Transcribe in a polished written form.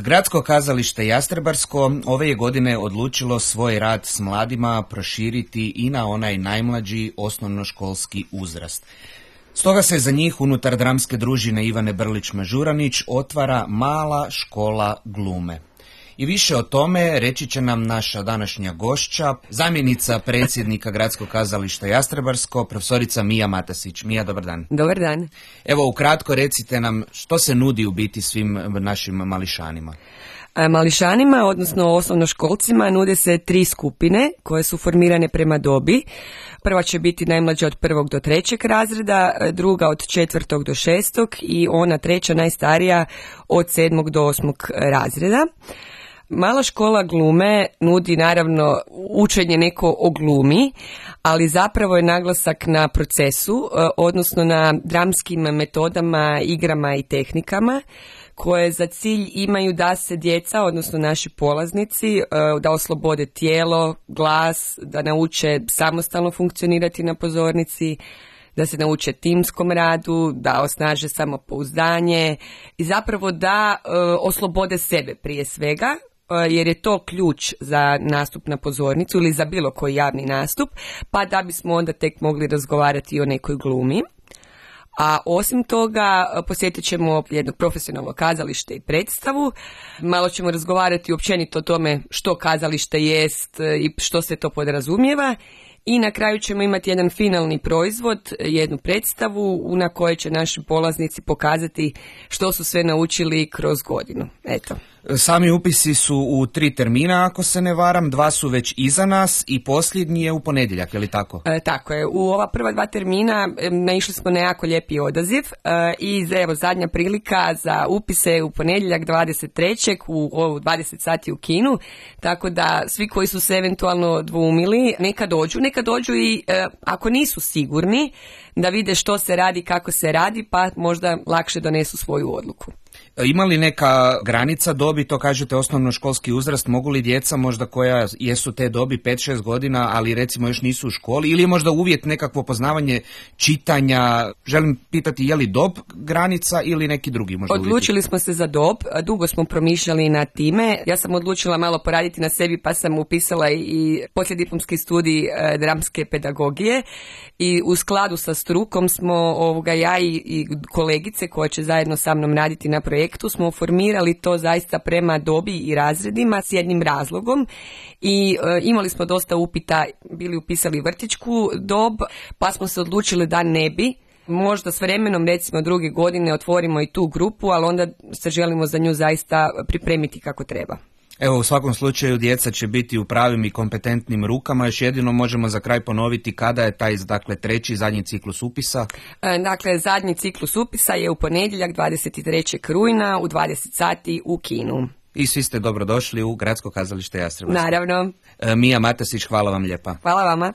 Gradsko kazalište Jastrebarsko ove je godine odlučilo svoj rad s mladima proširiti i na onaj najmlađi osnovnoškolski uzrast. Stoga se za njih unutar dramske družine Ivane Brlić-Mažuranić otvara mala škola glume. I više o tome reći će nam naša današnja gošća, zamjenica predsjednika Gradskog kazališta Jastrebarsko, profesorica Mija Matasić. Mija, dobar dan. Dobar dan. Evo, ukratko recite nam što se nudi u biti svim našim mališanima. Mališanima, odnosno osnovnoškolcima, nude se 3 skupine koje su formirane prema dobi. Prva će biti najmlađa od 1. do 3. razreda, druga od 4. do 6. i ona treća najstarija od 7. do 8. razreda. Mala škola glume nudi naravno učenje neko o glumi, ali zapravo je naglasak na procesu, odnosno na dramskim metodama, igrama i tehnikama koje za cilj imaju da se djeca, odnosno naši polaznici, da oslobode tijelo, glas, da nauče samostalno funkcionirati na pozornici, da se nauče timskom radu, da osnaže samopouzdanje i zapravo da oslobode sebe prije svega, jer je to ključ za nastup na pozornicu ili za bilo koji javni nastup, pa da bismo onda tek mogli razgovarati o nekoj glumi. A osim toga posjetit ćemo jedno profesionalno kazalište i predstavu. Malo ćemo razgovarati općenito o tome što kazalište jest i što se to podrazumijeva. I na kraju ćemo imati jedan finalni proizvod, jednu predstavu na kojoj će naši polaznici pokazati što su sve naučili kroz godinu. Eto. Sami upisi su u 3 termina, ako se ne varam, 2 su već iza nas i posljednji je u ponedjeljak, je li tako? Tako je. U ova prva 2 termina naišli smo na jako lijepi odaziv i evo zadnja prilika za upise u ponedjeljak 23. u 20 sati u kinu, tako da svi koji su se eventualno dvoumili neka dođu i ako nisu sigurni da vide što se radi, kako se radi, pa možda lakše donesu svoju odluku. Ima li neka granica dobi, to kažete osnovnoškolski uzrast, mogu li djeca možda koja jesu te dobi 5-6 godina, ali recimo još nisu u školi, ili je možda uvjet nekakvo poznavanje čitanja, želim pitati je li dob granica ili neki drugi možda uvjeti? Odlučili smo se za dob, dugo smo promišljali na time, ja sam odlučila malo poraditi na sebi pa sam upisala i poslijediplomski studij dramske pedagogije i u skladu sa strukom smo ja i kolegice koje će zajedno sa mnom raditi na projektu smo formirali to zaista prema dobi i razredima s jednim razlogom i imali smo dosta upita, bili upisali vrtićku dob, pa smo se odlučili da ne bi. Možda s vremenom, recimo 2. godine, otvorimo i tu grupu, ali onda se želimo za nju zaista pripremiti kako treba. Evo, u svakom slučaju djeca će biti u pravim i kompetentnim rukama. Još jedino možemo za kraj ponoviti kada je taj, dakle, 3. zadnji ciklus upisa. Dakle, zadnji ciklus upisa je u ponedjeljak 23. rujna u 20 sati u kinu. I svi ste dobrodošli u Gradsko kazalište Jastrebarsko. Naravno. Mija Matasić, hvala vam lijepa. Hvala vama.